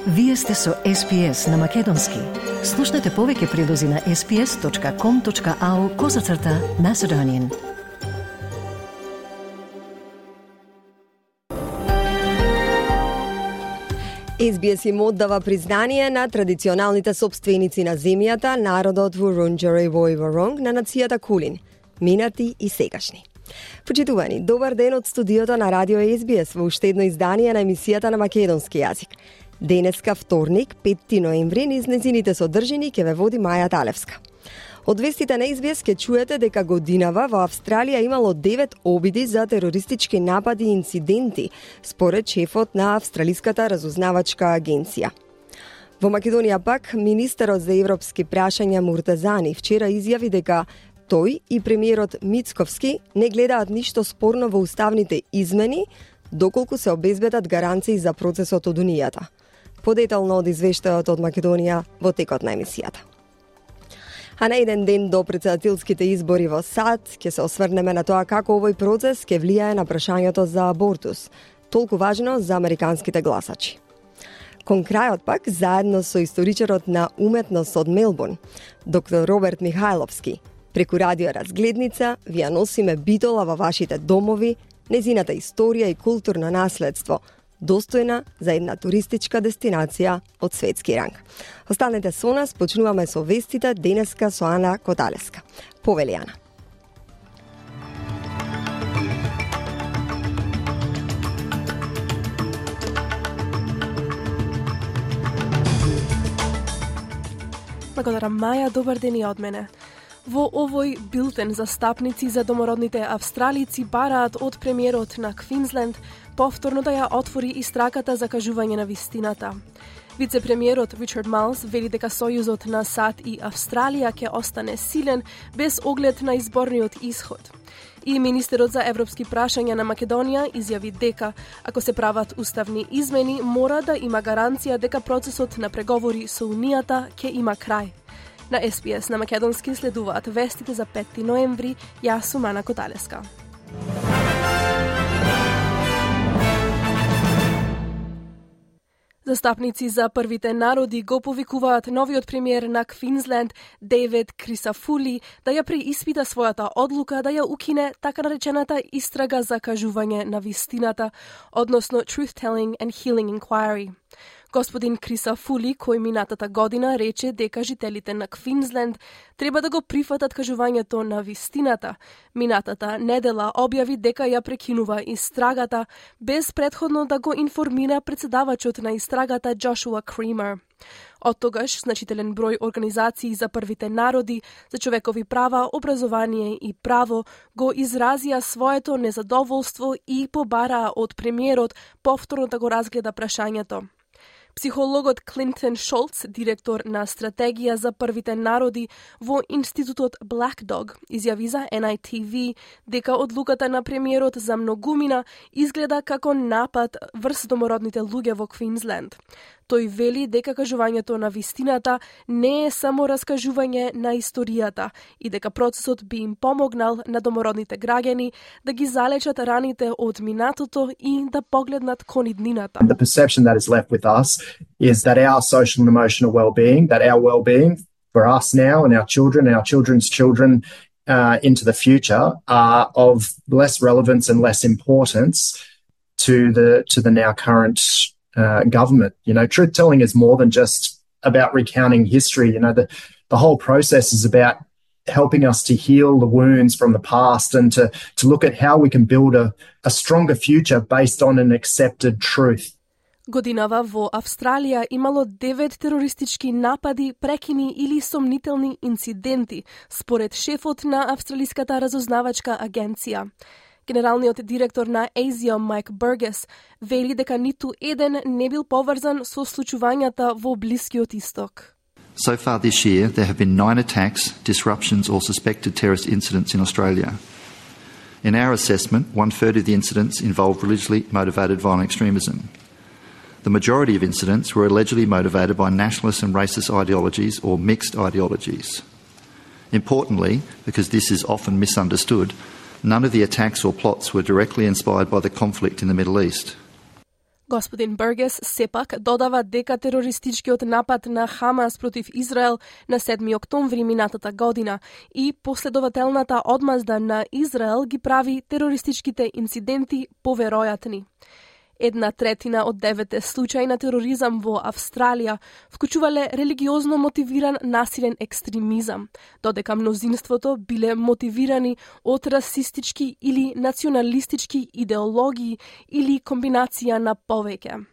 Вие сте со SPS на Македонски. Слушнете повеќе прилози на sps.com.au/Macedonian. SBS им оддава признание на традиционалните собственици на земјата, народот Вурунџери Вој на нацијата Кулин, минати и сегашни. Почитувани, добар ден од студиото на Радио SBS во уште едно издание на емисијата на македонски јазик. Денеска вторник, 5 ноември, низ незините содржини ќе ве води Маја Талевска. Од вестите на SBS ќе чуете дека годинава во Австралија имало 9 обиди за терористички напади и инциденти, според шефот на Австралиската разузнавачка агенција. Во Македонија пак, министерот за европски прашања Муртазани вчера изјави дека тој и премиерот Мицковски не гледаат ништо спорно во уставните измени, доколку се обезбедат гаранции за процесот од Унијата. Подетално од извештајот од Македонија во текот на емисијата. А на еден ден до претседателските избори во САД ќе се осврнеме на тоа како овој процес ќе влијае на прашањето за абортус, толку важно за американските гласачи. Кон крајот пак, заедно со историчарот на уметност од Мелбурн, доктор Роберт Михајловски, преку радио разгледница ви ја носиме битола во вашите домови, незината историја и културно наследство, достојна за една туристичка дестинација од светски ранг. Останете со нас, почнуваме со вестите денеска со Ана Коталеска. Повели, Ана. Благодарам, Маја, добар ден и од мене. Во овој билтен застапници за домородните австралици бараат од премиерот на Квинсленд повторно да ја отвори истрагата за кажување на вистината. Вице-премиерот Ричард Малс вели дека сојузот на САД и Австралија ќе остане силен без оглед на изборниот исход. И министерот за европски прашања на Македонија изјави дека, ако се прават уставни измени, мора да има гаранција дека процесот на преговори со Унијата ќе има крај. На SBS на македонски следуваат вестите за 5 ноември, јас сум Ана Коталеска. Застапници за првите народи го повикуваат новиот премиер на Квинсленд, Дейвид Крисафули, да ја преиспита својата одлука да ја укине така наречената истрага за кажување на вистината, односно Truth-Telling and Healing Inquiry. Господин Крисафули, кој минатата година рече дека жителите на Квинсленд треба да го прифатат кажувањето на вистината, минатата недела објави дека ја прекинува истрагата, без претходно да го информира председавачот на истрагата Джошуа Кример. Од тогаш, значителен број организации за првите народи, за човекови права, образование и право го изразија своето незадоволство и побараа од премиерот повторно да го разгледа прашањето. Психологот Клинтон Шолц, директор на стратегија за првите народи во институтот Black Dog, изјави за NITV дека одлуката на премиерот за многумина изгледа како напад врз домородните луѓе во Квинсленд. Тој вели дека кажувањето на вистината не е само раскажување на историјата и дека процесот би им помогнал на домородните граѓани да ги залечат раните од минатото и да погледнат кон иднината. The perception that is left with us is that our social and emotional well-being, that our well-being for us now and our children and our children's children into the future are of less relevance and less importance to the now current government. You know, truth-telling is more than just about recounting history. You know, the whole process is about helping us to heal the wounds from the past and to look at how we can build a stronger future based on an accepted truth. Годинава во Австралија имало 9 терористички напади, прекини или сомнителни инциденти, според шефот на Австралиската разузнавачка агенција. Генералниот директор на ASIO Майк Бургес вели дека ниту еден не бил поврзан со случувањата во Блискиот Исток. So far this year, there have been 9 attacks, disruptions or suspected terrorist incidents in Australia. In our assessment, 1/3 of the incidents involved religiously motivated violent extremism. The majority of incidents were allegedly motivated by nationalist and racist ideologies or mixed ideologies. Importantly, because this is often misunderstood, none of the attacks or plots were directly inspired by the conflict in the Middle East. Господин Бургес сепак додава дека терористичкиот напад на Хамас против Израел на 7 октомври минатата година и последователната одмазда на Израел ги прави терористичките инциденти поверојатни. 1/3 од 9 случаи на тероризам во Австралија вклучувале религиозно мотивиран насилен екстремизам, додека мнозинството биле мотивирани од расистички или националистички идеологии или комбинација на повеќе.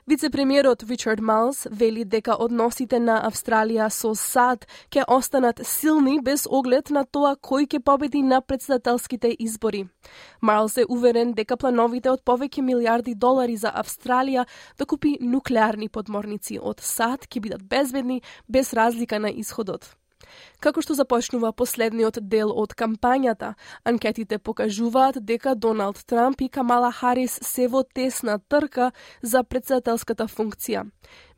Вице-премиерот Ричард Малс вели дека односите на Австралија со САД ќе останат силни без оглед на тоа кој ќе победи на претседателските избори. Малс е уверен дека плановите од повеќе милиарди долари за Австралија да купи нуклеарни подморници од САД ќе бидат безбедни без разлика на исходот. Како што започнува последниот дел од кампањата, анкетите покажуваат дека Доналд Трамп и Камала Харис се во тесна трка за претседателската функција.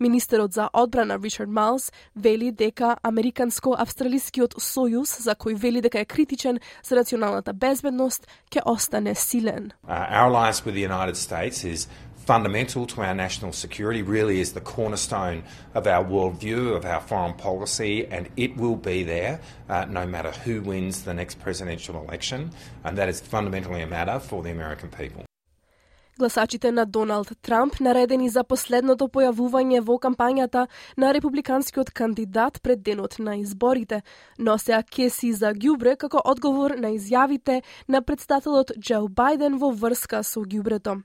Министерот за одбрана Ричард Малс вели дека Американско-австралискиот сојуз, за кој вели дека е критичен за националната безбедност, ќе остане силен. Our alliance with the United States is fundamental to our national security, really is the cornerstone of our worldview, of our foreign policy, and it will be there no matter who wins the next presidential election, and that is fundamentally a matter for the American people. Гласачите на Доналд Трамп, наредени за последното појавување во кампањата на републиканскиот кандидат пред денот на изборите, носеа кеси за ѓубре како одговор на изјавите на претседателот Џо Бајден во врска со ѓубрето.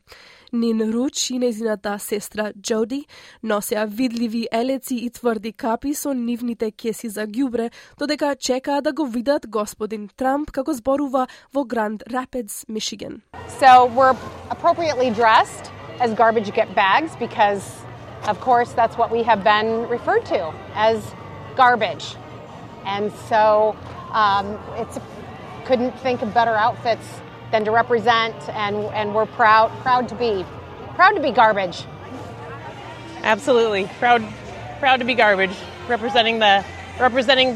Нин Руч и нејзината сестра Џоди носеа видливи елеци и тврди капи со нивните кеси за ѓубре, додека чекаа да го видат господин Трамп како зборува во Гранд Рапидс, Мичиган. So we're appropriately dressed as garbage get bags because, of course, that's what we have been referred to as garbage. And so couldn't think of better outfits than to represent, and we're proud to be garbage. Absolutely, proud to be garbage, representing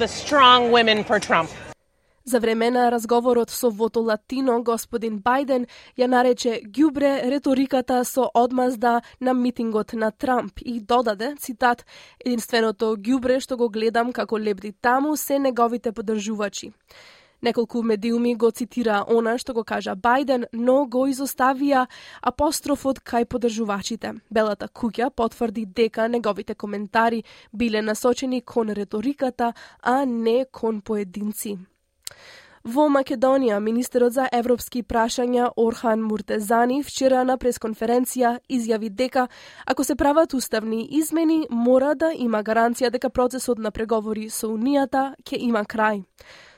the strong women for Trump. За време на разговорот со Вото Латино, господин Бајден ја нарече ѓубре реториката со одмазда на митингот на Трамп и додаде, цитат, единственото ѓубре што го гледам како лебди таму се неговите поддржувачи. Неколку медиуми го цитира она што го кажа Бајден, но го изоставија апострофот кај поддржувачите. Белата куќа потврди дека неговите коментари биле насочени кон реториката, а не кон поединци. Во Македонија, министерот за европски прашања Орхан Муртезани вчера на пресконференција изјави дека ако се прават уставни измени, мора да има гаранција дека процесот на преговори со Унијата ќе има крај.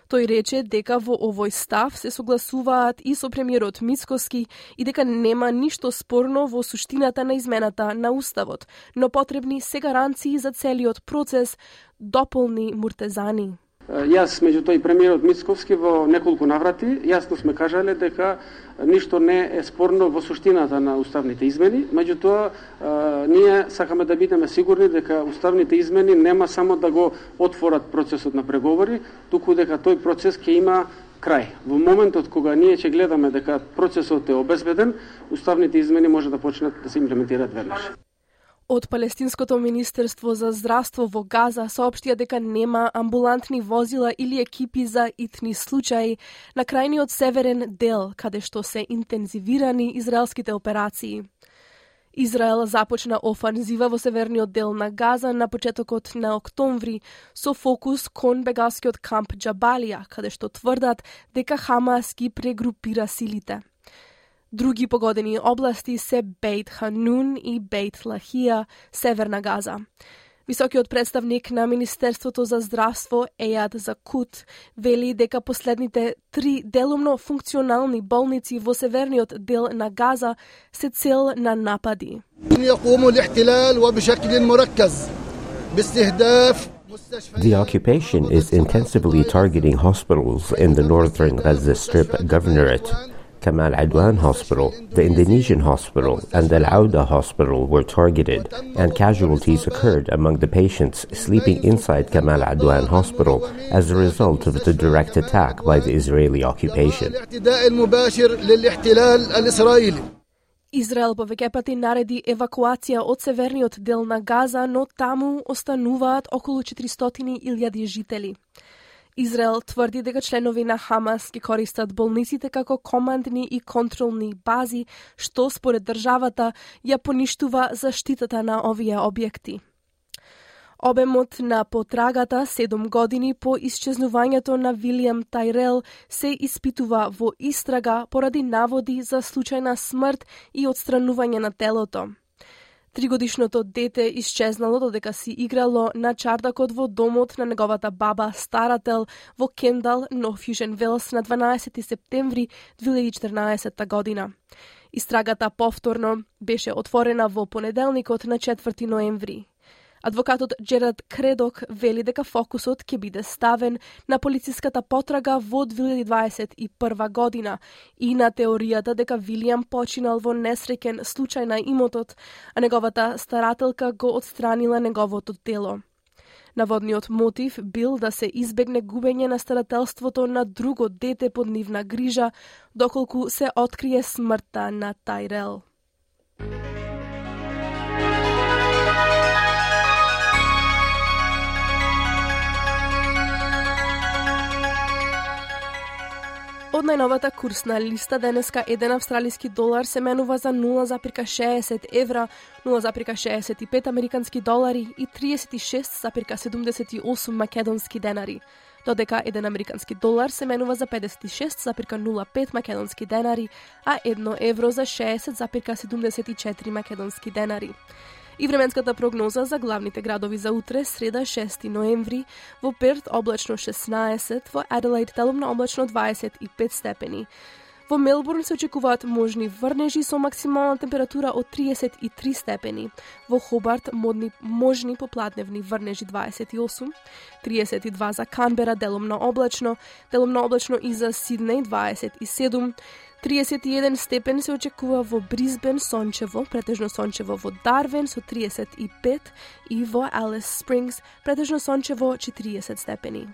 Тој рече дека во овој став се согласуваат и со премиерот Мицкоски и дека нема ништо спорно во суштината на измената на уставот, но потребни се гаранции за целиот процес, дополни Муртезани. Јас, меѓу тој премиерот Мицковски, во неколку наврати, јасно сме кажале дека ништо не е спорно во суштината на уставните измени, меѓутоа ние сакаме да бидеме сигурни дека уставните измени нема само да го отворат процесот на преговори, туку дека тој процес ќе има крај. Во моментот кога ние ќе гледаме дека процесот е обезбеден, уставните измени може да почнат да се имплементираат веднаш. Од Палестинското министерство за здравство во Газа соопштија дека нема амбулантни возила или екипи за итни случаи на крајниот северен дел, каде што се интензивирани израелските операции. Израел започна офанзива во северниот дел на Газа на почетокот на октомври со фокус кон бегалскиот камп Џабалија, каде што тврдат дека Хамас ги прегрупира силите. Други погодени области се Бейт Ханун и Бейт Лахија, северна Газа. Високиот представник на Министерството за здравство Ејад Закут вели дека последните 3 делумно функционални болници во северниот дел на Газа се цел на напади. The occupation is intensively targeting hospitals in the northern Gaza Strip governorate. Kamal Adwan Hospital, the Indonesian hospital, and the Al-Auda hospital were targeted, and casualties occurred among the patients sleeping inside Kamal Adwan Hospital as a result of the direct attack by the Israeli occupation. Израел повеќе пати нареди евакуација од северниот дел на Газа, но таму остануваат околу 400.000 жители. Израел тврди дека членови на Хамас ги користат болниците како командни и контролни бази, што според државата ја поништува заштитата на овие објекти. Обемот на потрагата 7 години по исчезнувањето на Вилијам Тајрел се испитува во истрага поради наводи за случајна смрт и отстранување на телото. 3-годишното дете исчезнало додека си играло на чардакот во домот на неговата баба старател во Кендал, Нов-Јужен Велс на 12 септември 2014 година. Истрагата повторно беше отворена во понеделникот на 4 ноември. Адвокатот Джерад Кредок вели дека фокусот ќе биде ставен на полициската потрага во 2021 година и на теоријата дека Вилијам починал во несреќен случај на имотот, а неговата старателка го отстранила неговото тело. Наводниот мотив бил да се избегне губење на старателството на друго дете под нивна грижа, доколку се открие смртта на Тајрел. Од најновата курсна листа денеска 1 австралиски долар се менува за 0,60 евра, 0,65 американски долари и 36,78 македонски денари, додека 1 американски долар се менува за 56,05 македонски денари, а 1 евро за 60,74 македонски денари. И временската прогноза за главните градови за утре, среда 6 ноември, во Перт облачно 16, во Аделаид делумно облачно 25 степени. Во Мелбурн се очекуваат можни врнежи со максимална температура од 33 степени. Во Хобарт можни попладневни врнежи 28, 32 за Канбера делумно облачно и за Сиднеј 27, 31 степен се очекува во Брисбен сончево, претежно сончево во Дарвин со 35 и во Алис Спрингс претежно сончево 40 степени.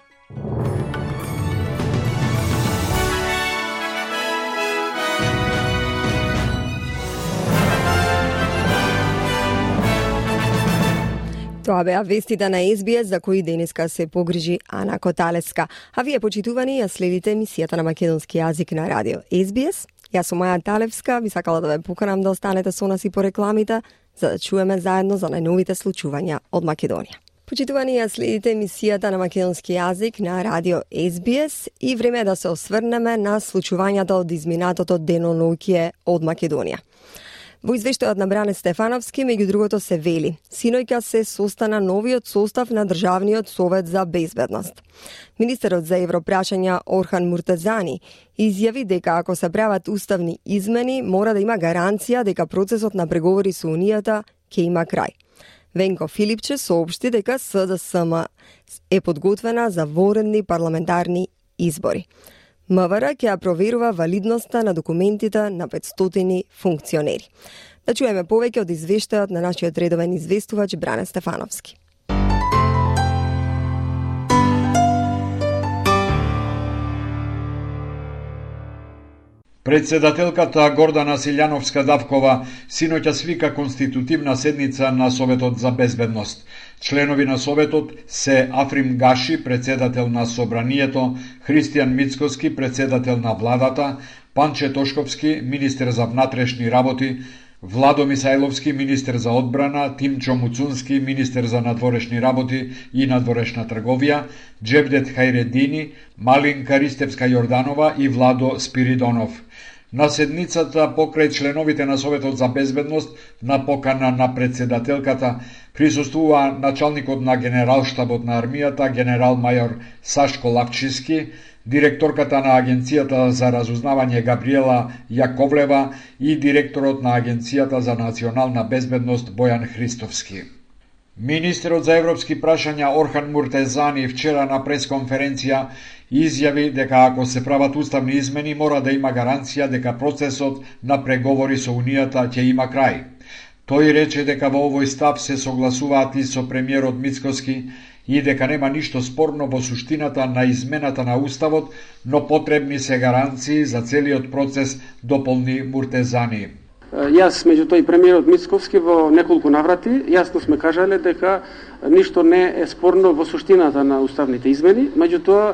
Тоа беа вестите на SBS за кои денеска се погрижи Ана Коталеска. А вие, почитувани, ја следите емисијата на македонски јазик на радио SBS. Јас сум Маја Талевска, би сакала да ве поканам да останете со нас и по рекламите, за да чуеме заедно за најновите случувања од Македонија. Почитувани, ја следите емисијата на македонски јазик на радио SBS и време е да се осврнеме на случувањата од изминатото деноноќие од Македонија. Во извештајот на Бране Стефановски, меѓу другото се вели: синоќа се состана новиот состав на Државниот совет за безбедност. Министерот за европрашања Орхан Муртезани изјави дека ако се прават уставни измени, мора да има гаранција дека процесот на преговори со Унијата ќе има крај. Венко Филипче соопшти дека СДСМ е подготвена за воредни парламентарни избори. МВР ќе ја проверува валидноста на документите на 500 функционери. Да чуеме повеќе од извештајот на нашиот редовен известувач Бране Стефановски. Председателката Гордана Силјановска-Давкова синоќа свика конститутивна седница на Советот за безбедност. Членови на Советот се Африм Гаши, председател на Собранието, Христијан Мицкоски, председател на владата, Панче Тошковски, министер за внатрешни работи, Владо Мисајловски, министер за одбрана, Тимчо Муцунски, министер за надворешни работи и надворешна трговија, Джевдет Хајредини, Малинка Ристевска Јорданова и Владо Спиридонов. На седницата покрај членовите на Советот за безбедност на покана на председателката присуствува началникот на Генералштабот на армијата генерал мајор Сашко Лавчиски, директорката на Агенцијата за разузнавање Габриела Јаковлева и директорот на Агенцијата за национална безбедност Бојан Христовски. Министерот за европски прашања Орхан Муртезани вчера на пресконференција изјави дека ако се прават уставни измени мора да има гаранција дека процесот на преговори со Унијата ќе има крај. Тој рече дека во овој став се согласуваат и со премиерот Мицкоски и дека нема ништо спорно во суштината на измената на Уставот, но потребни се гаранции за целиот процес, дополни Муртезани. Јас, меѓу тој премиерот Мицковски во неколку наврати, јасно сме кажале дека ништо не е спорно во суштината на уставните измени, меѓутоа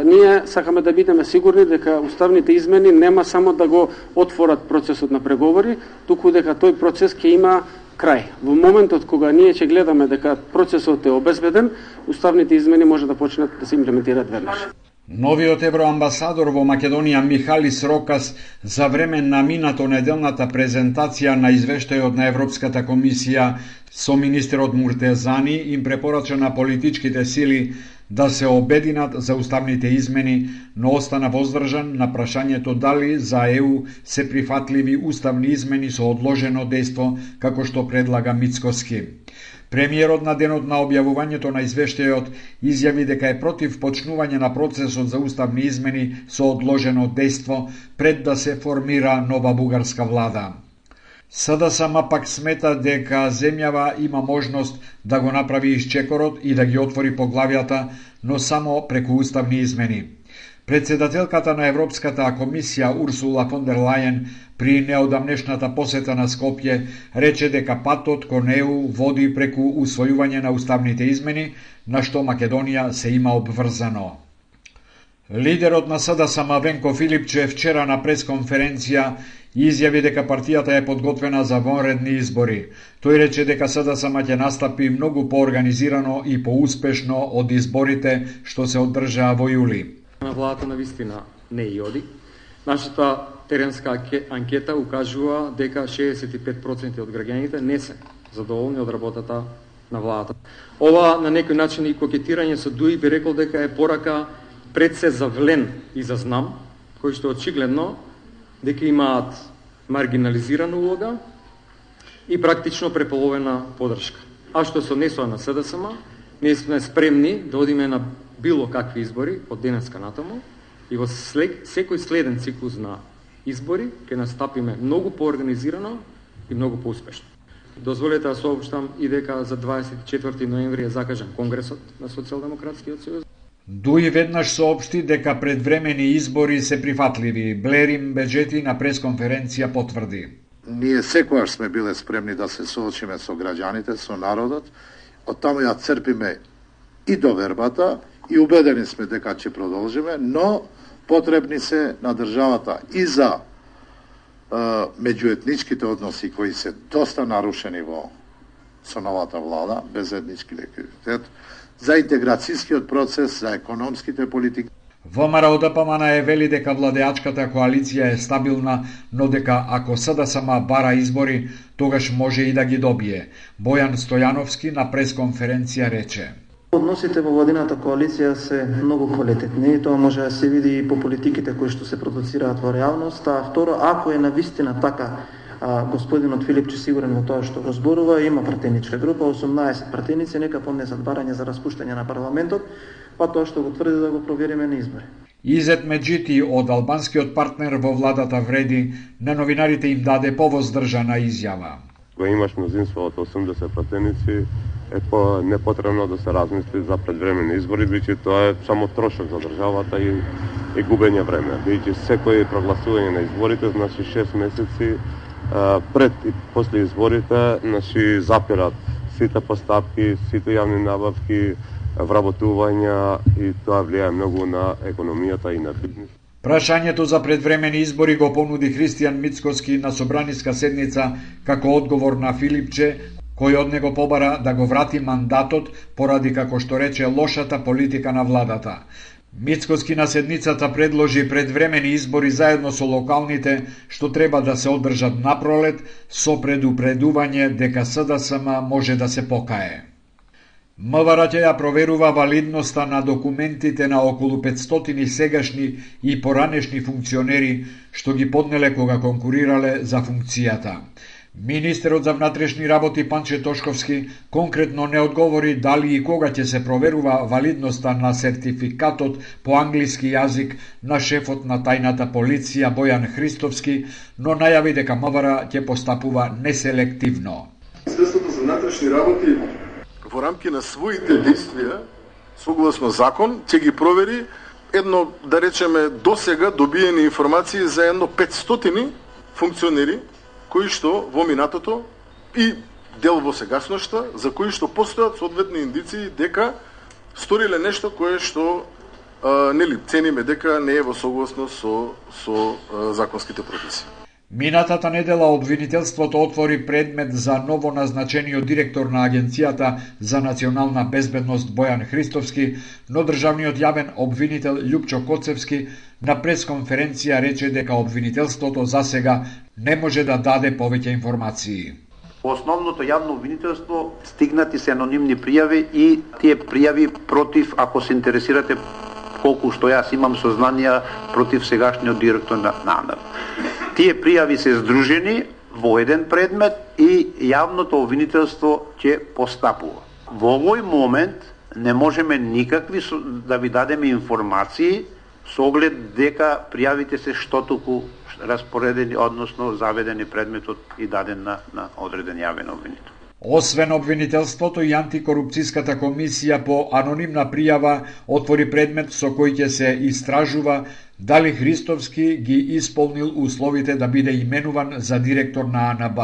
ние сакаме да бидеме сигурни дека уставните измени нема само да го отворат процесот на преговори, туку дека тој процес ќе има крај. Во моментот кога ние ќе гледаме дека процесот е обезбеден, уставните измени може да почнат да се имплементираат веднаш. Новиот евроамбасадор во Македонија Михалис Рокас за време на минато неделната презентација на извештајот на Европската комисија со министерот Муртезани им препорача на политичките сили да се обединат за уставните измени, но остана воздржан на прашањето дали за ЕУ се прифатливи уставни измени со одложено дејство, како што предлага Мицкоски. Премиерот на денот на објавувањето на извештајот изјави дека е против почнување на процесот за уставни измени со одложено дејство пред да се формира нова бугарска влада. СДСМ пак смета дека земјава има можност да го направи исчекорот и да ги отвори поглавјата, но само преку уставни измени. Председателката на Европската комисија Урсула фон дер Лајен при неодамнешната посета на Скопје рече дека патот кон ЕУ води преку усвојување на уставните измени, на што Македонија се има обврзано. Лидерот на СДСМ Венко Филипче вчера на пресконференција изјави дека партијата е подготвена за вонредни избори. Тој рече дека СДСМ ќе настапи многу поорганизирано и поуспешно од изборите што се одржаа во јули. На владата на вистина не и оди. Нашата теренска анкета укажува дека 65% од граѓаните не се задоволни од работата на владата. Ова на некој начин и кокетирање со ДУИ би рекол дека е порака пред се за влен и за знам, кои што очигледно дека имаат маргинализирана улога и практично преполовена подршка. А што се однесува на СДСМ, ние сме спремни да одиме на било какви избори од денеска натаму и во секој следен циклус на избори ќе настапиме многу поорганизирано и многу поуспешно. Дозволете да соопштам и дека за 24 ноември е закажан Конгресот на Социјалдемократскиот сојуз. ДУИ веднаш соопшти дека предвремени избори се прифатливи. Блерим Беджети на пресконференција потврди. Ние секогаш сме биле спремни да се соочиме со граѓаните, со народот. Од таму ја црпиме и довербата и убедени сме дека ќе продолжиме, но потребни се на државата и за меѓуетничките односи кои се доста нарушени со новата влада, без етнички легитимитет, за интеграцијскиот процес, за економските политики. ВМРО ДПМН вели дека владеачката коалиција е стабилна, но дека ако СДСМ бара избори, тогаш може и да ги добие. Бојан Стојановски на пресконференција рече: Односите во владината коалиција се многу квалитетни и тоа може да се види и по политиките кои што се продуцираат во реалност, а второ, ако е навистина така господинот Филипче сигурен во тоа што го зборува, има пратеничка група, 18 пратеници, нека поднесат барање за распуштање на парламентот, па тоа што го тврди да го провериме на избори. Изет Меджити од албанскиот партнер во владата вреди, на новинарите им даде повоздржана изјава. Кога имаш мнозинство од 80 пратеници, е непотребно да се размисли за предвремени избори, бидејќи тоа е само трошок за државата и губење време. Бидејќи секој прогласување на изборите, значи 6 месеци пред и после изборите, значи запират сите постапки, сите јавни набавки, вработувања и тоа влијае многу на економијата и на бизнис. Прашањето за предвремени избори го понуди Христијан Мицкоски на собраниска седница како одговор на Филипче, кој од него побара да го врати мандатот поради, како што рече, лошата политика на владата. Мицкоски на седницата предложи предвремени избори заедно со локалните, што треба да се одржат напролет, со предупредување дека СДСМ може да се покае. МВР ќе ја проверува валидноста на документите на околу 500 сегашни и поранешни функционери што ги поднеле кога конкурирале за функцијата. Министерот за внатрешни работи Панче Тошковски конкретно не одговори дали и кога ќе се проверува валидноста на сертификатот по англиски јазик на шефот на тајната полиција Бојан Христовски, но најави дека МВР ќе постапува неселективно. Министерството за внатрешни работи во рамки на своите действија, согласно закон, ќе ги провери едно, да речеме, досега добиени информации за едно 500 функционери кои што во минатото и дел во сегашноста, за кои што постојат соодветни индиции дека сториле нешто кое што нели цениме дека не е во согласност со законските прописи. Минатата недела обвинителството отвори предмет за ново назначениот директор на Агенцијата за национална безбедност Бојан Христовски, но државниот јавен обвинител Љупчо Коцевски на пресконференција рече дека обвинителството засега не може да даде повеќе информации. Основното јавно обвинителство стигнати се анонимни пријави и тие пријави против, ако се интересирате колку што јас имам сознанија, против сегашниот директор на АНР. Тие пријави се здружени во еден предмет и јавното обвинителство ќе постапува. Во овој момент не можеме никакви да ви дадеме информации со оглед дека пријавите се штотуку распоредени, односно заведени предметот и даден на одреден јавен обвинител. Освен обвинителството и антикорупцијската комисија по анонимна пријава отвори предмет со кој ќе се истражува дали Христовски ги исполнил условите да биде именуван за директор на АНБ.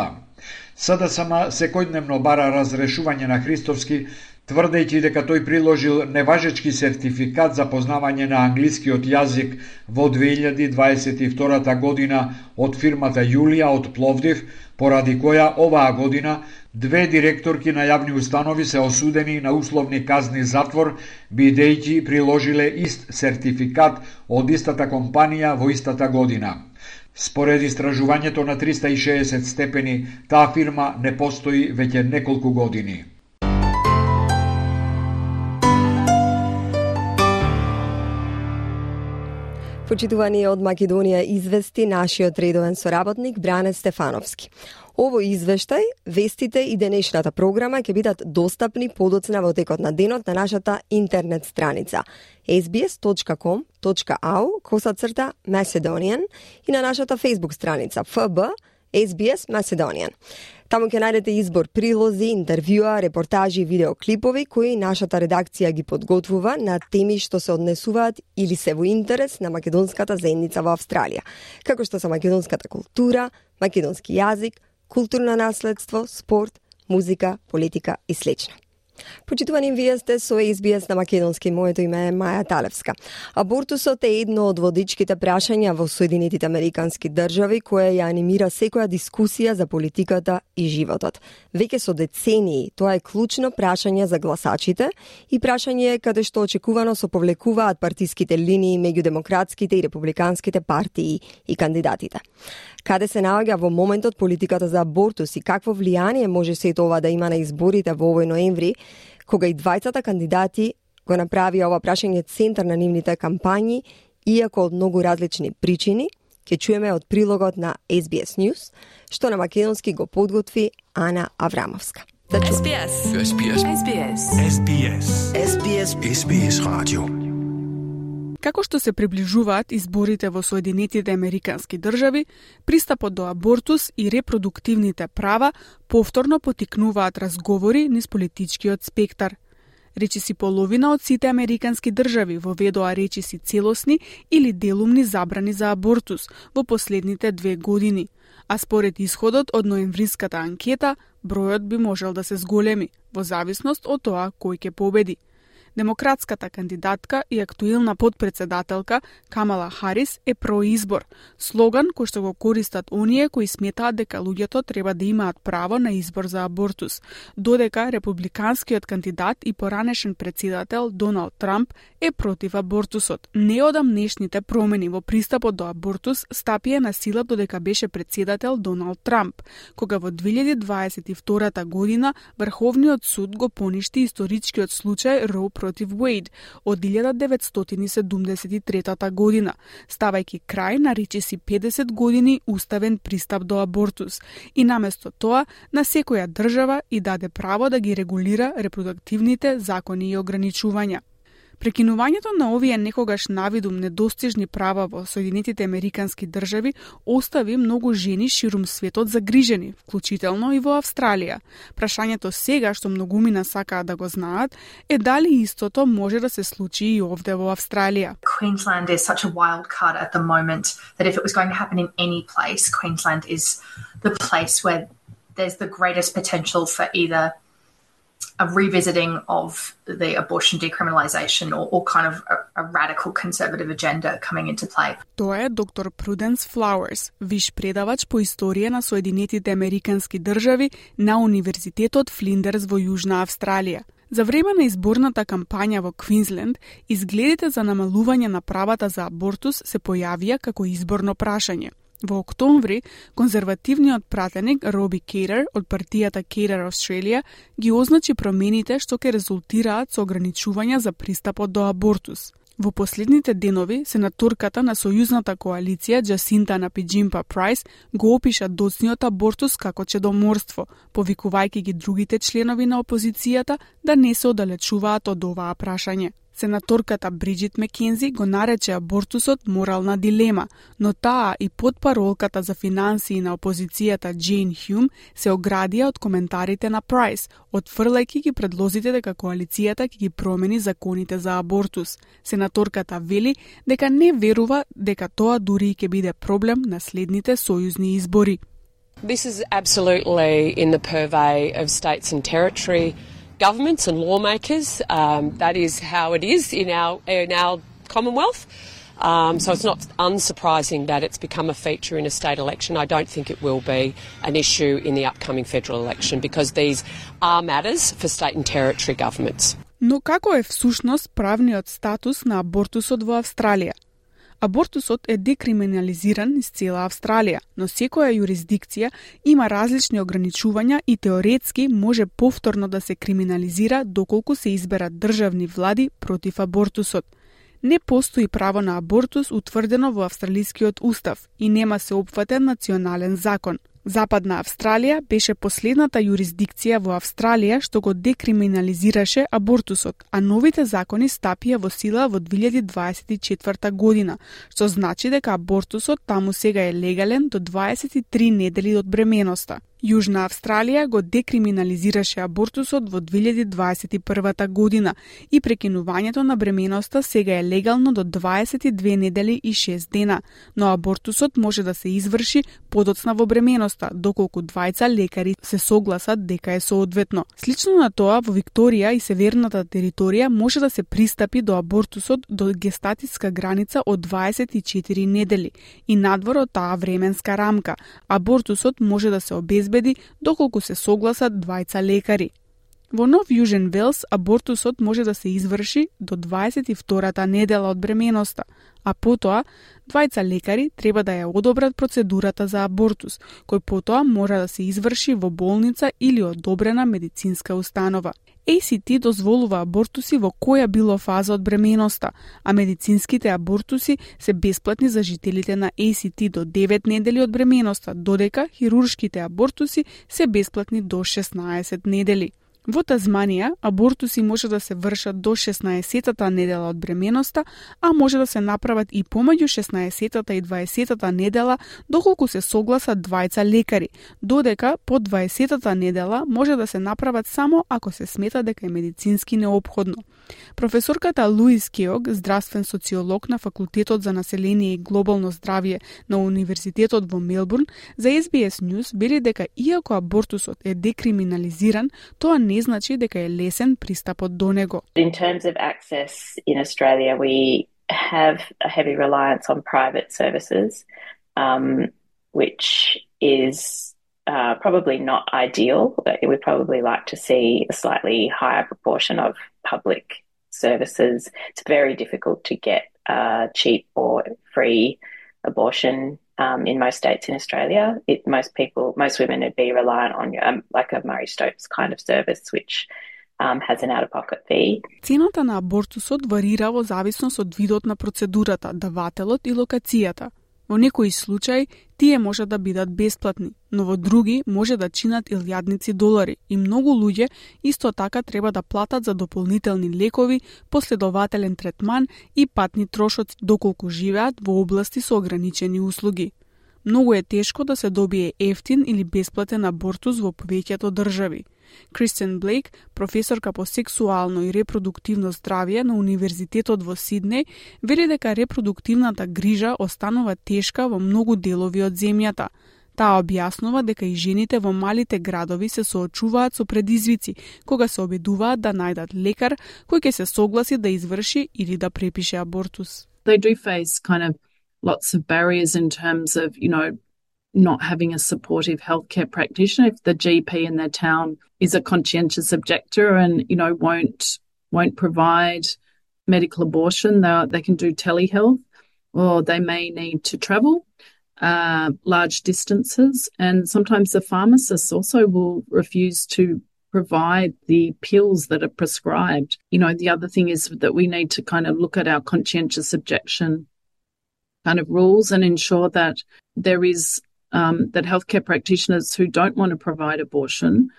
СДСМ секојдневно бара разрешување на Христовски, тврдејќи дека тој приложил неважечки сертификат за познавање на англискиот јазик во 2022 година од фирмата Јулија од Пловдив, поради која оваа година две директорки на јавни установи се осудени на условни казни затвор, бидејќи приложиле ист сертификат од истата компанија во истата година. Според истражувањето на 360 степени, таа фирма не постои веќе неколку години. Почитувани од Македонија извести нашиот редовен соработник Бране Стефановски. Овој извештај, вестите и денешната програма ќе бидат достапни подоцна во текот на денот на нашата интернет страница sbs.com.au/Macedonian и на нашата Facebook страница FB SBS Macedonian. Таму ќе најдете избор прилози, интервјуа, репортажи и видеоклипови кои нашата редакција ги подготвува на теми што се однесуваат или се во интерес на македонската заедница во Австралија, како што се македонската култура, македонски јазик, културно наследство, спорт, музика, политика и слично. Почитувани, вие сте со SBS на македонски. Моето име е Маја Талевска. Абортусот е едно од водичките прашања во Соединетите Американски држави кое ја анимира секоја дискусија за политиката и животот. Веќе со децении тоа е клучно прашање за гласачите и прашање каде што очекувано се повлекуваат партиските линии меѓу демократските и републиканските партии и кандидатите. Каде се наоѓа во моментот политиката за абортус и какво влијание може сето ова да има на изборите во овој ноември, кога и двајцата кандидати го направија ова прашање центар на нивните кампањи, иако од многу различни причини, ќе чуеме од прилогот на SBS News, што на македонски го подготви Ана Аврамовска. SBS. SBS. SBS. SBS. SBS. SBS Radio. Како што се приближуваат изборите во Соединетите Американски држави, пристапот до абортус и репродуктивните права повторно потикнуваат разговори низ политичкиот спектар. Речиси половина од сите американски држави воведоа речиси целосни или делумни забрани за абортус во последните 2 години, а според исходот од ноемвриската анкета, бројот би можел да се зголеми, во зависност од тоа кој ќе победи. Демократската кандидатка и актуелна подпредседателка Камала Харис е произбор, слоган кој што го користат оние кои сметаат дека луѓето треба да имаат право на избор за абортус, додека републиканскиот кандидат и поранешен председател Доналд Трамп е против абортусот. Неодамнешните промени во пристапот до абортус стапија на сила додека беше председател Доналд Трамп, кога во 2022 година Врховниот суд го поништи историчкиот случај Роу против Уейд од 1973 година, ставајќи крај на речиси 50 години уставен пристап до абортус и наместо тоа на секоја држава и даде право да ги регулира репродуктивните закони и ограничувања. Прекинувањето на овие некогаш навидум недостижни права во Соединетите Американски држави остави многу жени ширум светот загрижени, вклучително и во Австралија. Прашањето сега што многумина сакаат да го знаат е дали истото може да се случи и овде во Австралија. Queensland is such a wild card at the moment that if it was going to happen in any place, Queensland is the place where there's the greatest potential for either a revisiting of the abortion decriminalisation or kind of a radical conservative agenda coming into play. Тоа е доктор Пруденс Флауерс, виш предавач по историја на Соединетите Американски држави на Универзитетот Флиндерс во Јужна Австралија. За време на изборната кампања во Квинсленд, изгледите за намалување на правата за абортус се појавија како изборно прашање. Во октомври, конзервативниот пратеник Роби Кейтер од партијата Кейтер Australia ги означи промените што ќе резултираат со ограничувања за пристапот до абортус. Во последните денови, сенаторката на Сојузната коалиција Джасинта Напиџимпа Прайс го опиша доцниот абортус како чедоморство, повикувајќи ги другите членови на опозицијата да не се оддалечуваат од оваа прашање. Сенаторката Бриджит Мекензи го нарече абортусот морална дилема, но таа и потпаролката за финансии на опозицијата Джейн Хјум се оградија од коментарите на Прайс, отфрлајќи ги предлозите дека коалицијата ќе ги промени законите за абортус. Сенаторката вели дека не верува дека тоа дури ќе биде проблем на следните сојузни избори. This is absolutely in the purvey of states and territory governments and lawmakers. That is how it is in our Commonwealth. So it's not unsurprising that it's become a feature in a state election. I don't think it will be an issue in the upcoming federal election because these are matters for state and territory governments. Но како е всушност правниот статус на абортусот во Австралија? Абортусот е декриминализиран из цела Австралија, но секоја юрисдикција има различни ограничувања и теоретски може повторно да се криминализира доколку се изберат државни влади против абортусот. Не постои право на абортус утврдено во австралискиот устав и нема се опфатен национален закон. Западна Австралија беше последната юрисдикција во Австралија што го декриминализираше абортусот, а новите закони стапија во сила во 2024 година, што значи дека абортусот таму сега е легален до 23 недели од бременоста. Јужна Австралија го декриминализираше абортусот во 2021 година и прекинувањето на бременоста сега е легално до 22 недели и 6 дена, но абортусот може да се изврши подоцна во бременоста, доколку двајца лекари се согласат дека е соодветно. Слично на тоа, во Викторија и Северната територија може да се пристапи до абортусот до гестатиска граница од 24 недели и надвор од таа временска рамка. Абортусот може да се обезбеди доколку се согласат двајца лекари. Во Нов Јужен Велс абортусот може да се изврши до 22-та недела од бременоста, а потоа двајца лекари треба да ја одобрат процедурата за абортус, кој потоа мора да се изврши во болница или одобрена медицинска установа. ACT дозволува абортуси во која било фаза од бременоста, а медицинските абортуси се бесплатни за жителите на ACT до 9 недели од бременоста, додека хируршките абортуси се бесплатни до 16 недели. Во Тазманија, абортуси може да се вршат до 16-та недела од бременоста, а може да се направат и помеѓу 16-та и 20-та недела, доколку се согласат двајца лекари, додека по 20-та недела може да се направат само ако се смета дека е медицински неопходно. Професорката Луис Кеог, здравствен социолог на Факултетот за население и глобално здравје на Универзитетот во Мелбурн, за SBS News вели дека иако абортусот е декриминализиран, тоа не значи дека е лесен пристапот до него. In terms of access in Australia, we have a heavy reliance on private services, which is probably not ideal. We'd probably like to see a slightly higher proportion of public services. It's very difficult to get cheap or free abortion in most states in Australia. Most women would be reliant on like a Murray Stokes kind of service, which has an out-of-pocket fee. Цената на абортусот варира во зависност од видот на процедурата, давателот и локацијата. Во некои случаи тие може да бидат бесплатни, но во други може да чинат илјадници долари и многу луѓе исто така треба да платат за дополнителни лекови, последователен третман и патни трошоци доколку живеат во области со ограничени услуги. Многу е тешко да се добие ефтин или бесплатен абортус во повеќето држави. Кристен Блейк, професорка по сексуално и репродуктивно здравје на Универзитетот во Сиднеј, вели дека репродуктивната грижа останува тешка во многу делови од земјата. Таа објаснува дека и жените во малите градови се соочуваат со предизвици кога се обидуваат да најдат лекар кој ќе се согласи да изврши или да препише абортус. They do face kind of lots of barriers in terms of, not having a supportive healthcare practitioner. If the GP in their town is a conscientious objector and, won't provide medical abortion, they can do telehealth, or they may need to travel large distances. And sometimes the pharmacists also will refuse to provide the pills that are prescribed. The other thing is that we need to kind of look at our conscientious objection kind of rules and ensure that there is that healthcare practitioners who don't want to provide abortion,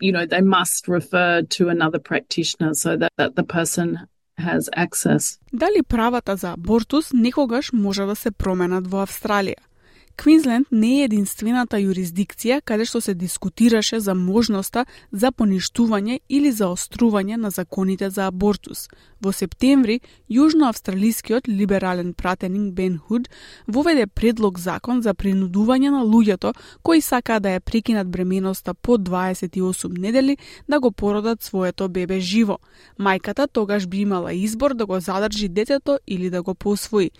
they must refer to another practitioner so that the person has access. Дали правата за абортус некогаш може да се променат во Австралија? Квинсленд не е единствената юрисдикција каде што се дискутираше за можноста за поништување или заострување на законите за абортус. Во септември, јужноавстралискиот либерален пратеник Бен Худ воведе предлог закон за принудување на луѓето кои сакаат да ја прекинат бременоста по 28 недели да го породат своето бебе живо. Мајката тогаш би имала избор да го задржи детето или да го посвои.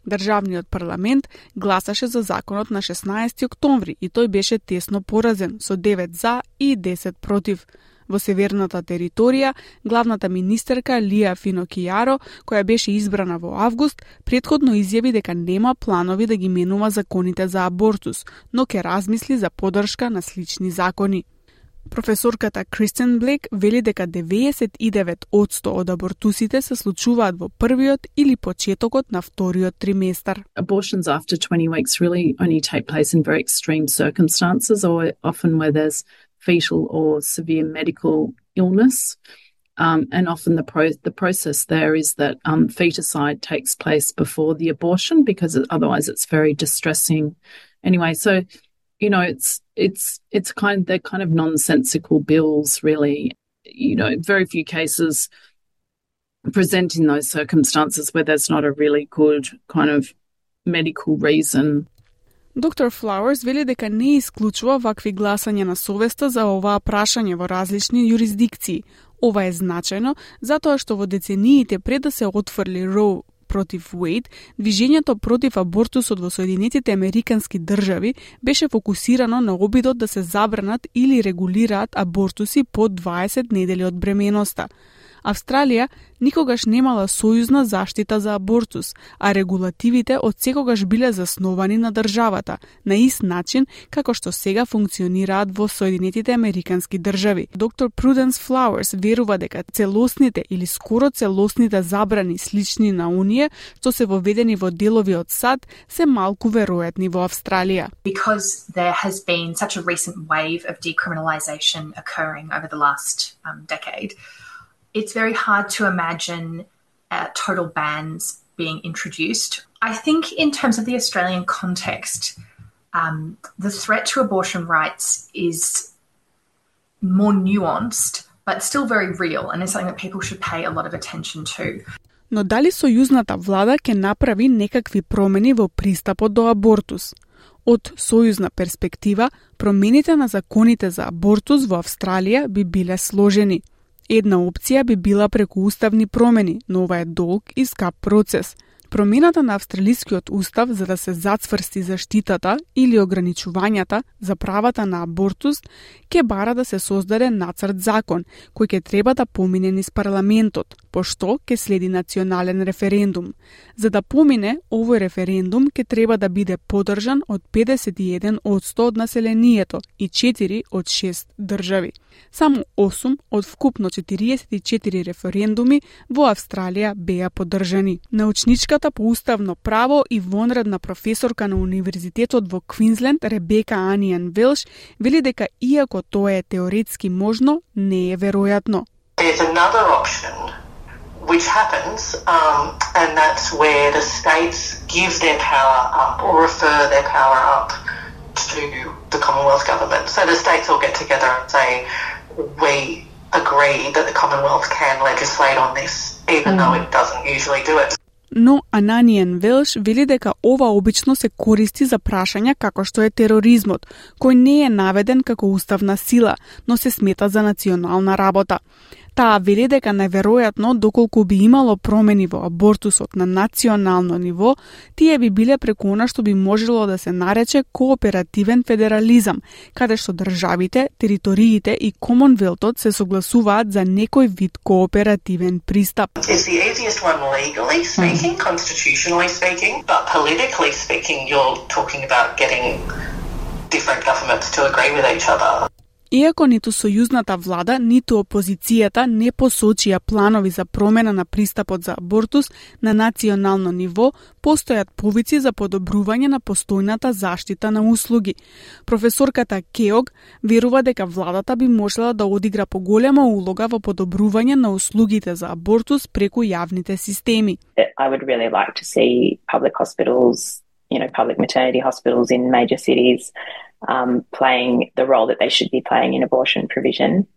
Државниот парламент гласаше за законот на 16 октомври и тој беше тесно поразен со 9 за и 10 против. Во северната територија, главната министерка Лија Финокијаро, која беше избрана во август, претходно изјави дека нема планови да ги менува законите за абортус, но ќе размисли за поддршка на слични закони. Професорката Кристен Блейк вели дека 99% од абортусите се случуваат во првиот или почетокот на вториот триместар. Abortions after 20 weeks really only take place in very extreme circumstances, or often where there's fetal or severe medical illness. And often the process there is that feticide takes place before the abortion because otherwise it's very distressing. Anyway, so they're kind of nonsensical bills, really. Very few cases present in those circumstances where there's not a really good kind of medical reason. Доктор Флауърс вели дека не исклучува вакви гласање на совеста за оваа прашање во различни юрисдикции. Ова е значајно затоа што во децениите пред да се отфрли Роу против Уейд, движењето против абортусот во Соединетите Американски држави беше фокусирано на обидот да се забранат или регулираат абортуси по 20 недели од бременоста. Австралија никогаш немала сојузна заштита за абортус, а регулативите од секогаш биле засновани на државата, на ист начин како што сега функционираат во Соединетите Американски држави. Доктор Пруденс Флауърс верува дека целосните или скоро целосните забрани слични на оние што се воведени во делови од САД се малку веројатни во Австралија. Because there has been such a recent wave of decriminalisation occurring over the last decade, it's very hard to imagine total bans being introduced. I think in terms of the Australian context, the threat to abortion rights is more nuanced, but still very real, and is something that people should pay a lot of attention to. Но дали сојузната влада ќе направи некакви промени во пристапот до абортус? Од сојузна перспектива, промените на законите за абортус во Австралија би биле сложени. Една опција би била преку уставни промени, но ова е долг и скап процес. Промената на австралискиот устав за да се зацврсти заштитата или ограничувањата за правата на абортус ќе бара да се создаде нацрт закон кој ќе треба да помине низ парламентот, пошто ќе следи национален референдум. За да помине, овој референдум ќе треба да биде поддржан од 51% од населението и 4 од 6 држави. Само 8 од вкупно 44 референдуми во Австралија беа поддржани. Научничка докторката по уставно право и вонредна професорка на Универзитетот во Квинсленд Ребека Аниан Велш вели дека иако тоа е теоретски можно, не е веројатно. There's another option which happens, and that's where the states give their power up or refer their power up to the Commonwealth government. So the states all get together and say, we agree that the Commonwealth can legislate on this, even though it doesn't usually do it. Но Ананиан Велш вели дека ова обично се користи за прашања како што е тероризмот, кој не е наведен како уставна сила, но се смета за национална работа. Таа вели дека најверојатно, доколку би имало промени во абортусот на национално ниво, тие би биле преку она што би можело да се нарече кооперативен федерализам, каде што државите, териториите и Комонвелтот се согласуваат за некој вид кооперативен пристап. It's the easiest one legally speaking, constitutionally speaking, but politically speaking, you're talking about getting different governments to agree with each other. Иако ниту сојузната влада, ниту опозицијата не посочија планови за промена на пристапот за абортус на национално ниво, постојат повици за подобрување на постојната заштита на услуги. Професорката Кеог верува дека владата би можела да одигра поголема улога во подобрување на услугите за абортус преку јавните системи. I would really like to see public hospitals, public maternity hospitals in major cities playing the role that they should be playing in abortion provision.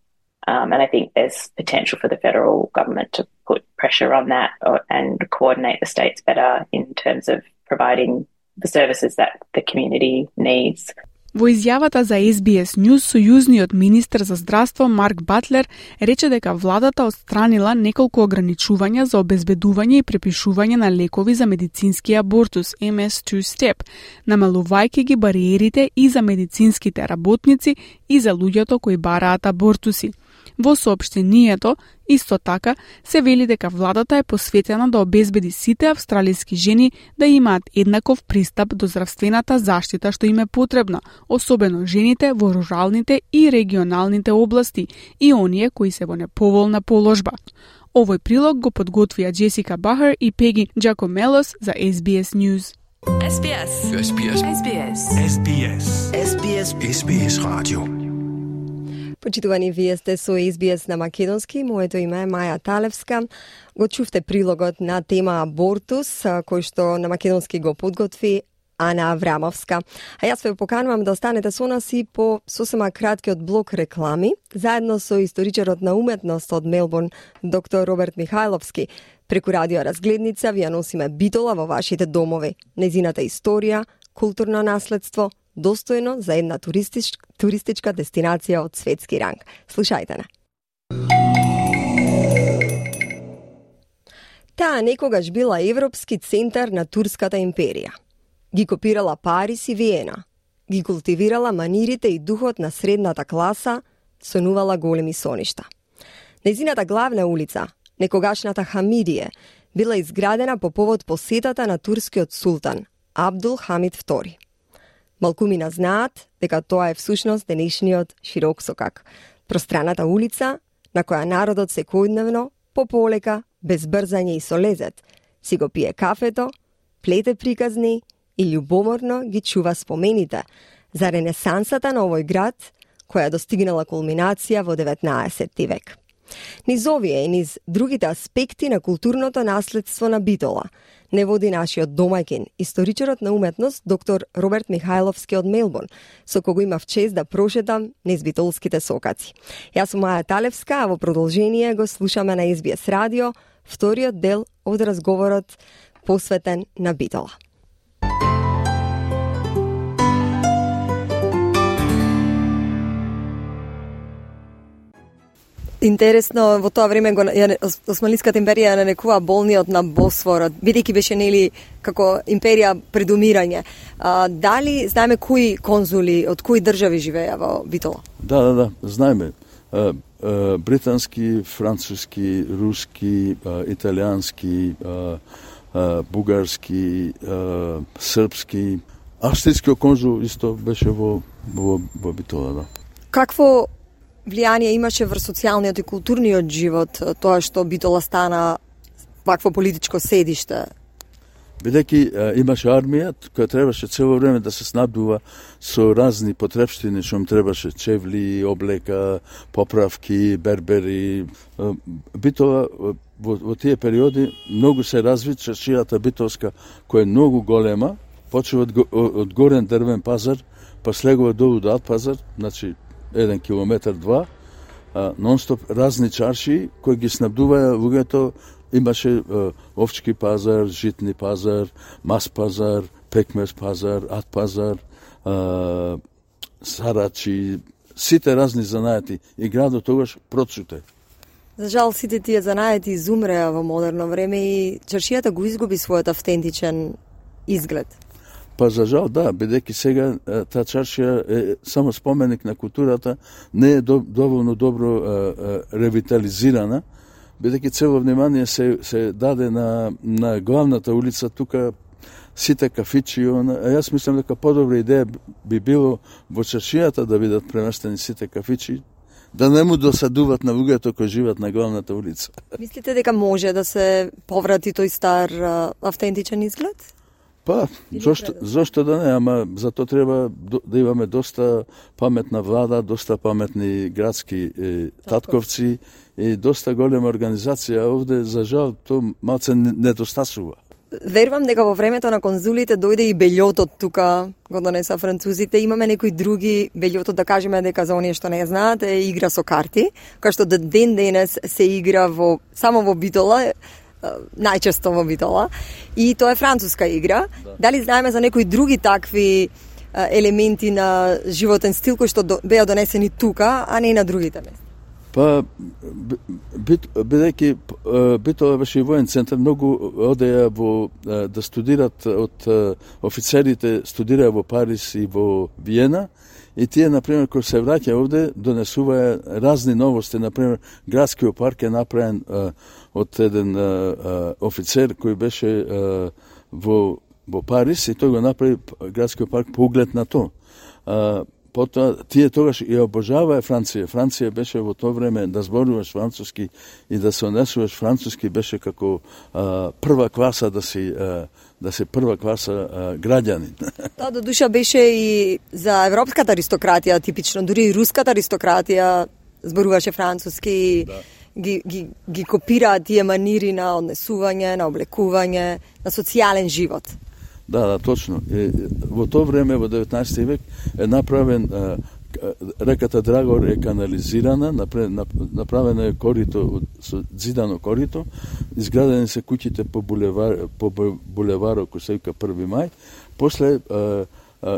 And I think there's potential for the federal government to put pressure on that and coordinate the states better in terms of providing the services that the community needs. Во изјавата за SBS News, сојузниот министер за здравство Марк Батлер рече дека владата отстранила неколку ограничувања за обезбедување и препишување на лекови за медицински абортус MS2 Step, намалувајќи ги бариерите и за медицинските работници и за луѓето кои бараат абортуси. Во соопштението, исто така, се вели дека владата е посветена да обезбеди сите австралиски жени да имаат еднаков пристап до здравствената заштита што им е потребна, особено жените во руралните и регионалните области и оние кои се во неповолна положба. Овој прилог го подготвија Джесика Бахар и Пеги Джакомелос за SBS News. SBS. SBS. SBS. SBS. SBS. SBS Radio. Почитувани, вие сте со SBS на македонски. Моето име е Маја Талевска. Го чувте прилогот на тема абортус, кој што на македонски го подготви Ана Аврамовска. А јас ве поканувам да останете со нас и по сосема краткиот блок реклами, заедно со историчарот на уметност од Мелбурн, доктор Роберт Михајловски. Преку радио Разгледница ви ја носиме Битола во вашите домови. Нејзината историја, културно наследство, достојно за една туристичка дестинација од светски ранг. Слушајте на. Таа некогаш била европски центар на турската империја. Ги копирала Париз и Виена, ги култивирала манирите и духот на средната класа, сонувала големи соништа. Нејзината главна улица, некогашната Хамидие, била изградена по повод посетата на турскиот султан Абдул Хамид II. Малкумина знаат дека тоа е всушност денешниот Широксокак, пространата улица на која народот секојдневно, пополека, без брзање и со лезет, си го пие кафето, плете приказни и љубоморно ги чува спомените за ренесансата на овој град, која достигнала кулминација во 19 век. Низ овие и низ другите аспекти на културното наследство на Битола не води нашиот домаќин, историчарот на уметност доктор Роберт Михајловски од Мелбурн, со кого имав чест да прошетам низ битолските сокаци. Јас сум Маја Талевска, а во продолжение го слушаме на SBS радио вториот дел од разговорот посветен на Битола. Интересно, во тоа време Османлиската империја нарекува болниот на Босфорот, бидејќи беше нели како империја предумирање. Дали знаеме кои конзули од кои држави живееа во Битола? Да, знаеме. Британски, француски, руски, италијански, бугарски, српски. Австријскиот конзул исто беше во Битола, да. Какво влијание имаше врз социјалниот и културниот живот тоа што Битола стана вакво политичко седиште? бидејќи имаше армија која требаше цело време да се снабдува со разни потребштини што им требаше, чевли, облека, поправки, бербери. Битола во тие периоди многу се разви чаршијата битолска, која е многу голема, почува од горен дрвен пазар, па слегува долу до Ад пазар, значи 1 километар 2, нон-стоп разни чарши кои ги снабдуваја луѓето. Имаше овчки пазар, житни пазар, мас пазар, пекмез пазар, Ад пазар, сарачи, сите разни занаети. И градот тогаш процуте. За жал, сите тие занаети изумреа во модерно време и чаршијата го изгуби својот автентичен изглед. Па за жал, да, бидејќи сега таа чаршија е само споменик на културата, не е доволно добро ревитализирана, бидејќи цело внимание се даде на главната улица, тука сите кафичи, јас мислам дека подобра идеја би било во чаршијата да бидат преместени сите кафичи, да не му досадуват на луѓето кои живеат на главната улица. Мислите дека може да се поврати тој стар автентичен изглед? Па, зошто да не, ама за тоа треба да имаме доста паметна влада, доста паметни градски татковци и доста голема организација. Овде, за жал, тоа малце недостасува. Верувам дека во времето на конзулите дојде и бељотот тука, го донеса французите. Имаме некои други, бељотот да кажеме дека за оние што не знаат, е игра со карти, која што ден денес се игра само во Битола, најчесто во Битола, и тоа е француска игра. Да. Дали знаеме за некои други такви елементи на животен стил кои што беа донесени тука, а не на другите места? Па, бидејќи Битола беше и воен центар, многу одеја да студират од офицерите, студираја во Париз и во Виена, и тие, например, кои се враќа овде, донесуваја разни новости. Например, градскиот парк е направен од еден офицер кој беше во Париз, и тој го направи градскиот парк по углед на тоа. Потоа, тие тогаш и обожаваа Франција. Франција беше во тоа време да зборуваш француски и да се однесуваш француски беше како прва класа да си прва класа граѓанин. Тоа до душа беше и за европската аристократија типично, дури и руската аристократија зборуваше француски. Да. Ги копираат тие манири на однесување, на облекување, на социјален живот. Да, точно. Во тоа време, во 19 век, е направен, реката Драгор е канализирана, направено е корито, со зидано корито, изградени се куќите по булеварот, кој се вика 1 мај, после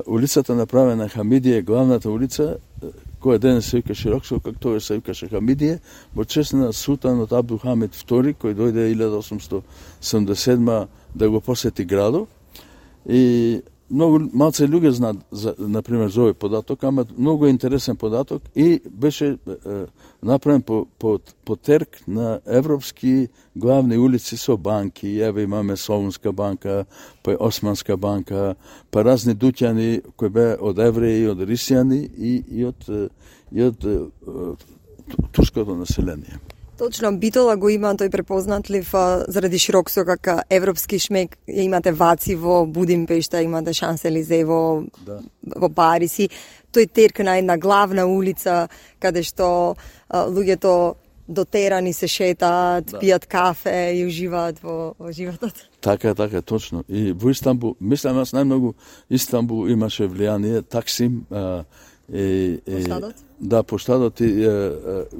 улицата направена Хамидија, главната улица, која денес се вика Широксо, како тоа се викаше Хамидија, во чест на султанот Абдулхамид II, кој дојде 1877 да го посети градот. И многу малце луѓе знаат, например, за овој податок, ама многу интересен податок и беше направен по терк на европски главни улици со банки. Еве имаме Солунска банка, па Османска банка, па разни дуќани кои беа од евреи, од рисјани и од турското население. Точно, Битола го има тој препознатлив заради Широксо како европски шмек. Имате Ваци во Будимпешта, имате Шанс-Елизе во Париз и тој терк на една главна улица каде што луѓето дотерани се шетаат, пијат кафе и уживаат во животот. Така, точно. И во Истанбул, мислам аз најмногу Истанбул имаше влијание, Таксим, Поштадот? Да, Поштадот и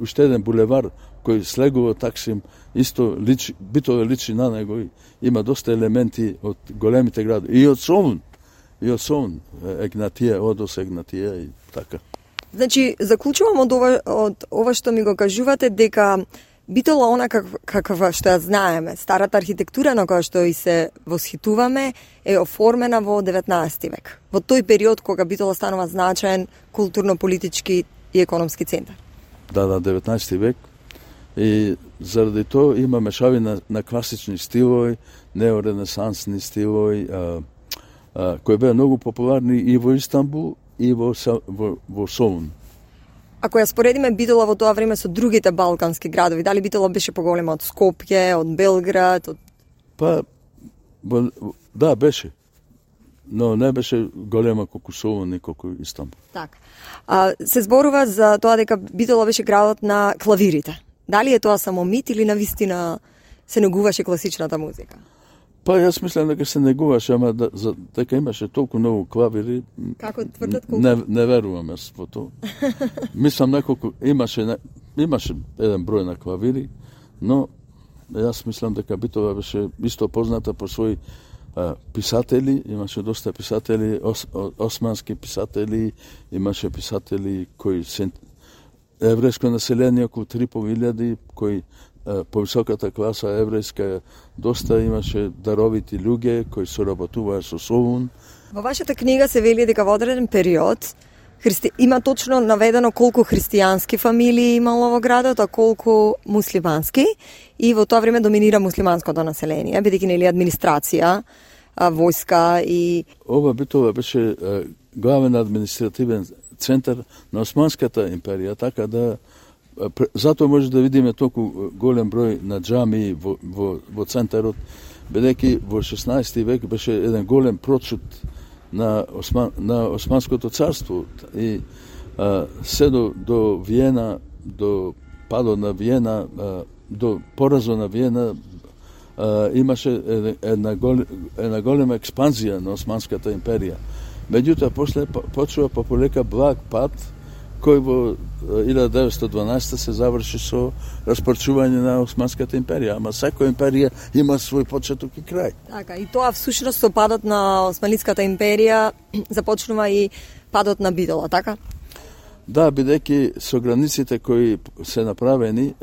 уште еден булевар кој слегува Таксим, исто Битола личи на него и има доста елементи од големите градови. И од Солун, Егнатија, Одос Егнатија и така. Значи, заклучувам од ова што ми го кажувате дека Битола она каква што ја знаеме, старата архитектура на која што и се восхитуваме, е оформена во 19 век. Во тој период кога Битола станува значаен културно-политички и економски центар. Да, 19 век. И заради тоа има мешавина на класични стилови, неоренесансни стилови, кои беа многу популарни и во Истанбул и во Солун. Ако ја споредиме Битола во тоа време со другите балкански градови, дали Битола беше поголема од Скопје, од Белград? Па, Да, беше. Но не беше голема колку Солун и колку Истанбул. Так. Се зборува за тоа дека Битола беше градот на клавирите. Дали е тоа само мит или навистина се негуваше класичната музика? Па јас мислам дека се негуваше, ама дека имаше толку многу клавири. Како тврдат колку? Не верувам јас во тоа. Мислам неколку имаше еден број на клавири, но јас мислам дека Битола беше исто позната по своји писатели, имаше доста писатели, османски писатели, имаше писатели кои се еврејско население околу 3.500, кои по високата класа еврејска доста имаше даровити луѓе кои соработуваа со Солун. Во вашата книга се вели дека во одреден период има точно наведено колку христијански фамилии имало во градот, а колку муслимански, и во тоа време доминира муслиманското население, бидејќи нели администрација, војска и... Ова Битола беше главен административен центар на Османската империја, така да затоа може да видиме толку голем број на џамии во центарот, бидејќи во 16 век беше еден голем процут на Османското царство и се до Виена, до падот на Виена, до поразот на Виена имаше една голема експанзија на Османската империја. Меѓутоа, после почува полека благ пат, кој во 1912 се заврши со распарчување на Османската империја, ама секоја империја има свој почеток и крај. Така, и тоа всушност со падот на Османската империја започнува и падот на Битола, така? Да, бидејќи со границите кои се направени,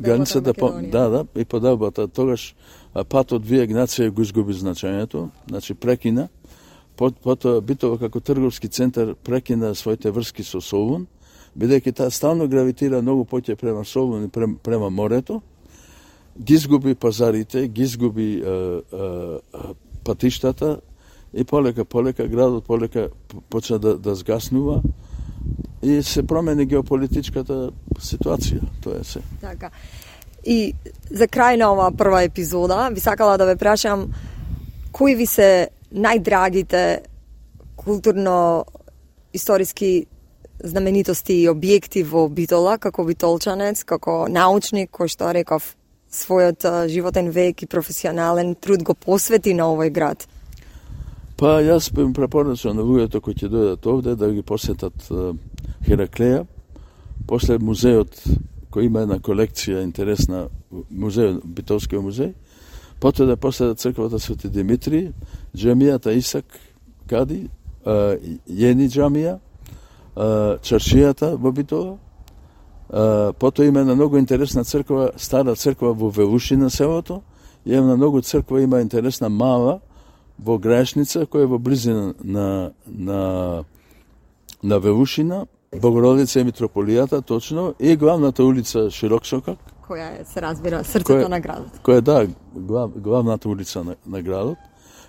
границата и поделбата, тогаш патот вие Игнација го изгуби значењето, значи прекина. Потоа Битола како трговски центар прекина своите врски со Солун, бидејќи таа стално гравитира многу поќе према Солун и према морето, ги изгуби пазарите, ги изгуби патиштата и полека градот почна да згаснува и се промени геополитичката ситуација, тоа е се. Така. И за крај на оваа прва епизода, би сакала да ве прашам кои ви се најдрагите културно-историски знаменитости и објекти во Битола, како битолчанец, како научник, кој што реков својот животен век и професионален труд го посвети на овој град? Па јас би препорачал на луѓето кои ќе дојдат овде да ги посетат Хераклеја, после музеот кој има една колекција интересна, музеј, Битолскиот музеј, потоа да посетат црквата Свети Димитри, џамијата Исак Кади, Јени џамија, чаршијата во Битола. Потоа има една многу интересна црква, стара црква во Велушина селото, и една многу црква има интересна мала во Граешница, која е во близина на Велушина, Богородица и Митрополијата, точно, и главната улица Широксокак, која се разбира срцето на градот. Која да, главната улица на градот,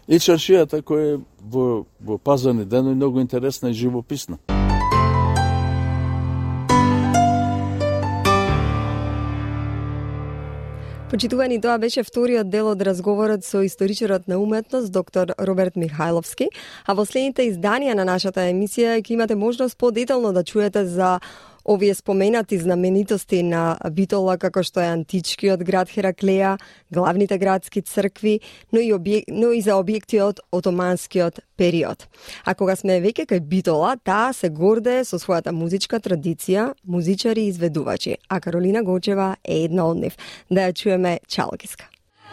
и чаршијата која е во пазарни денови многу интересна и живописна. Почитувани, тоа беше вториот дел од разговорот со историчарот на уметност доктор Роберт Михајловски, а во следните изданија на нашата емисија ќе имате можност подетално да чуете за овие споменати знаменитости на Битола, како што е античкиот град Хераклеја, главните градски цркви, но и за објекти од отоманскиот период. А кога сме веќе кај Битола, таа се гордее со својата музичка традиција, музичари и изведувачи, а Каролина Гочева е една од нив. Да ја чуеме Чалкиска.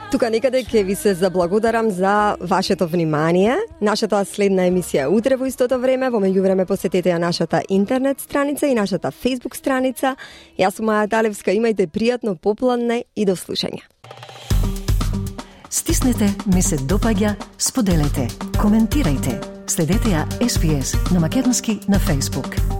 Тука некаде ќе ви се заблагодарам за вашето внимание. Нашата следна емисија е утре во истото време. Во меѓувреме посетете ја нашата интернет страница и нашата Facebook страница. Јас сум Маја Талевска. Имајте пријатно попладне и до слушање. Стиснете, ми се допаѓа, споделете, коментирајте. Следете ја SPS на македонски на Facebook.